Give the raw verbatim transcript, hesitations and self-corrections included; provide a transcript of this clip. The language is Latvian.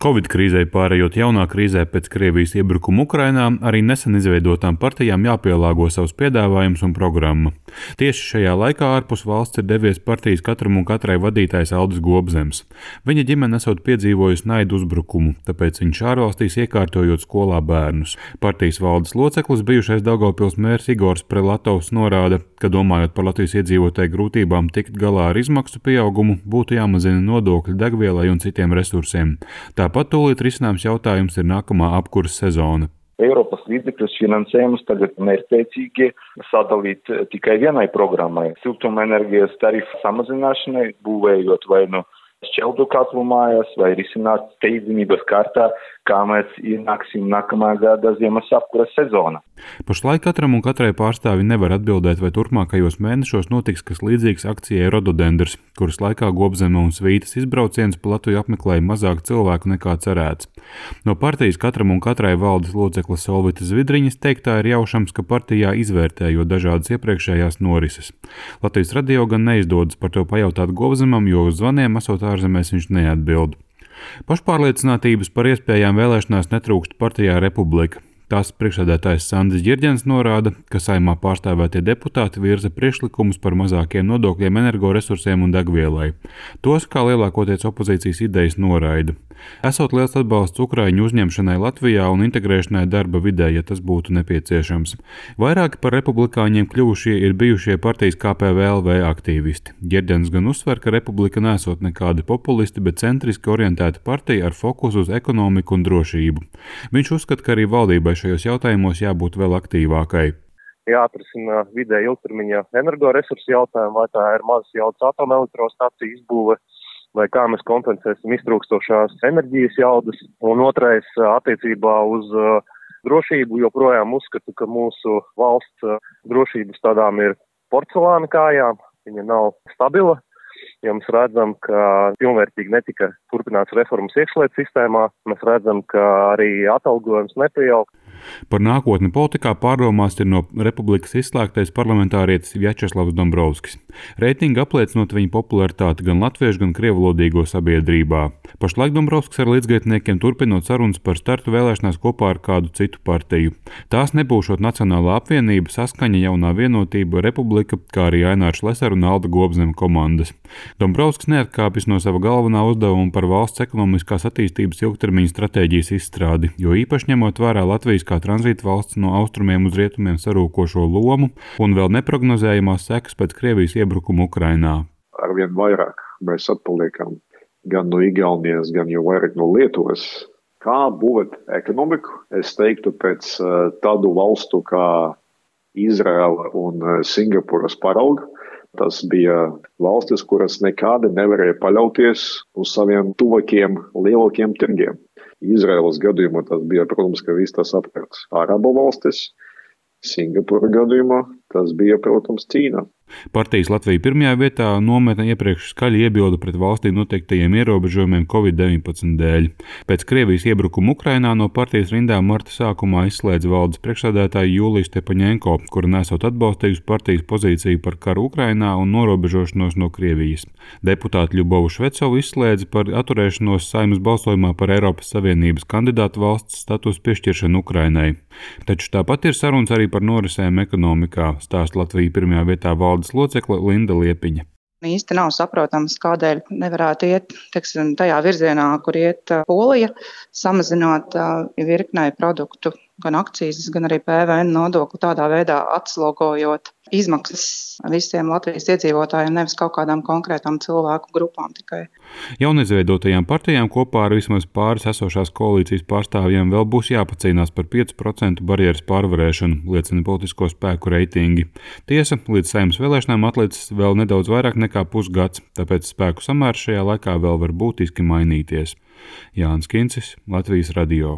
Covid krīzei pārējot jaunā krīzē pēc Krievijas iebrukuma Ukrainā, arī nesen izveidotām partijām jāpielāgo savus piedāvājumus un programma. Tieši šajā laikā ārpus valsts ir devies partijas katram un katrai vadītājs Aldis Gobzems. Viņa ģimene esot piedzīvojusi naidu uzbrukumu, tāpēc viņš ārvalstīs iekārtojot skolā bērnus. Partijas valdes loceklis, bijušais Daugavpils mērs Igors Prelatovs norāda, ka domājot par Latvijas iedzīvotāju grūtībām tikt galā ar izmaksu pieaugumu, būtu jāmazina nodokļi degvielai un citiem resursiem. Tāpat tūlīt risināms jautājums ir nākamā apkuras sezona. Eiropas līdzekļus finansējumus tagad mērķtiecīgi sadalīt tikai vienai programmai – siltumenerģijas tarifu samazināšanai, būvējot vai nu šķeldu katlu mājās, vai risināt steidzamības kārtā, kā mēs ienāksim nākamā gada ziemas apkuras sezona. Pašlaik katram un katrai pārstāvi nevar atbildēt, vai turpmākajos mēnešos notiks kas līdzīgs akcijai Rododendrs, kuras laikā Gobzema un svītas izbrauciens pa Latviju apmeklēja mazāk cilvēku nekā cerēts. No partijas katram un katrai valdes locekles Solvitas Zvidriņas teiktā ir jaušams, ka partijā izvērtējot dažādas iepriekšējās norises. Latvijas radio gan neizdodas par to pajautāt Gobzemam, jo uz zvaniem esot ārzemēs viņš neatbild. Pašpārliecinātības par iespējām vēlēšanās netrūkst partijā Republika. Tās priekšsēdētājs Sandis Ģirģens norāda, ka Saeimā pārstāvētie deputāti virza priekšlikumus par mazākiem nodokļiem energoresursiem un degvielai. Tos, kā lielākoties opozīcijas idejas, noraida. Esot liels atbalsts Ukraiņu uzņemšanai Latvijā un integrēšanai darba vidē, ja tas būtu nepieciešams. Vairāki par republikāņiem kļuvušie ir bijušie partijas K P V L V aktīvisti. Ģirģens gan uzsver, ka Republika nesot nekādi populisti, bet centriski orientēta partija ar fokusu uz ekonomiku un drošību. Viņš uzskata, ka arī valdībai šajos jautājumos jābūt vēl aktīvākai. Jāatrisina vidēja ilgtermiņa energoresursu jautājumu, vai tā ir mazas jaudas atomelektrostaciju izbūve, vai kā mēs kompensēsim iztrūkstošās enerģijas jaudas. Un otrais attiecībā uz drošību joprojām uzskatu, ka mūsu valsts drošības tādām ir porcelāna kājām, viņa nav stabila. Ja mēs redzam, ka pilnvērtīgi netika turpināts reformas iekšlietu sistēmā, mēs redzam, ka arī atalgojums nepieaug. Par nākotni politikā pārdomās ir no Republikas izslēgtais parlamentārietis Vjačeslavs Dombrovskis. Reitingi apliecinot viņa popularitāti gan latviešu, gan krievulodīgo sabiedrībā. Pašlaik Dombrovskis ar līdzgaitniekiem turpinot sarunas par startu vēlēšanās kopā ar kādu citu partiju. Tās nebūšot Nacionālā apvienība, Saskaņa, Jaunā vienotība, Republika, kā arī Aināra Šlesera un Alda Gobzema komandas. Dombrovskis neatkāpjas no sava galvenā uzdevuma par valsts ekonomiskās attīstības ilgtermiņa stratēģijas izstrādi, jo īpaši ņemot vērā Latvijas kā tranzīta valsts no austrumiem uz rietumiem sarūkošo lomu un vēl neprognozējamās sekas pēc Krievijas iebrukuma Ukrainā. Arvien vairāk mēs atpaliekam gan no Igaunijas, gan jau vairāk no Lietuvas. Kā būvēt ekonomiku? Es teiktu pēc uh, tādu valstu kā Izraela un uh, Singapūras parauga. Tas bija valstis, kuras nekādi nevarēja paļauties uz saviem tuvākiem lielākiem tirgiem. Izraēlas gadījumā tas bija, protams, ka viss tas apkārt Arabu valstis. Singapūra gadījumā tas bija, protams, Ķīna. Partijas Latvija pirmajā vietā nometne iepriekš skaļi iebilda pret valstī noteiktajiem ierobežojumiem Covid deviņpadsmit dēļ. Pēc Krievijas iebrukuma Ukrainā no partijas rindām marta sākumā izslēdz valdes priekšsēdētāja Jūlija Stepaņenko, kura nesot atbalstījusi partijas pozīciju par karu Ukrainā un norobežošanos no Krievijas. Deputāti Ļubovu Švecovu izslēdz par atturēšanos Saeimas balsojumā par Eiropas Savienības kandidātu valsts statusu piešķiršanu Ukrainai. Taču tāpat ir sarunas arī par norisēm ekonomikā, stāsta Latvija pirmajā vietā valdes locekle Linda Liepiņa. Īsti nav saprotams, kādēļ nevarētu iet, teiksim, tajā virzienā, kur iet Polija, samazinot virknei produktu, gan akcijas, gan arī P V N nodokli, tādā veidā atslogojot izmaksas visiem Latvijas iedzīvotājiem, nevis kaut kādām konkrētām cilvēku grupām tikai. Jaunizveidotajām partijām kopā ar vismaz pāris esošās koalīcijas pārstāvjiem vēl būs jāpacīnās par piecu procentu barjeras pārvarēšanu, liecina politisko spēku reitingi. Tiesa, līdz Saeimas vēlēšanām atlicis vēl nedaudz vairāk nekā pusgads, tāpēc spēku samērs šajā laikā vēl var būtiski mainīties. Jānis Kincis, Latvijas radio.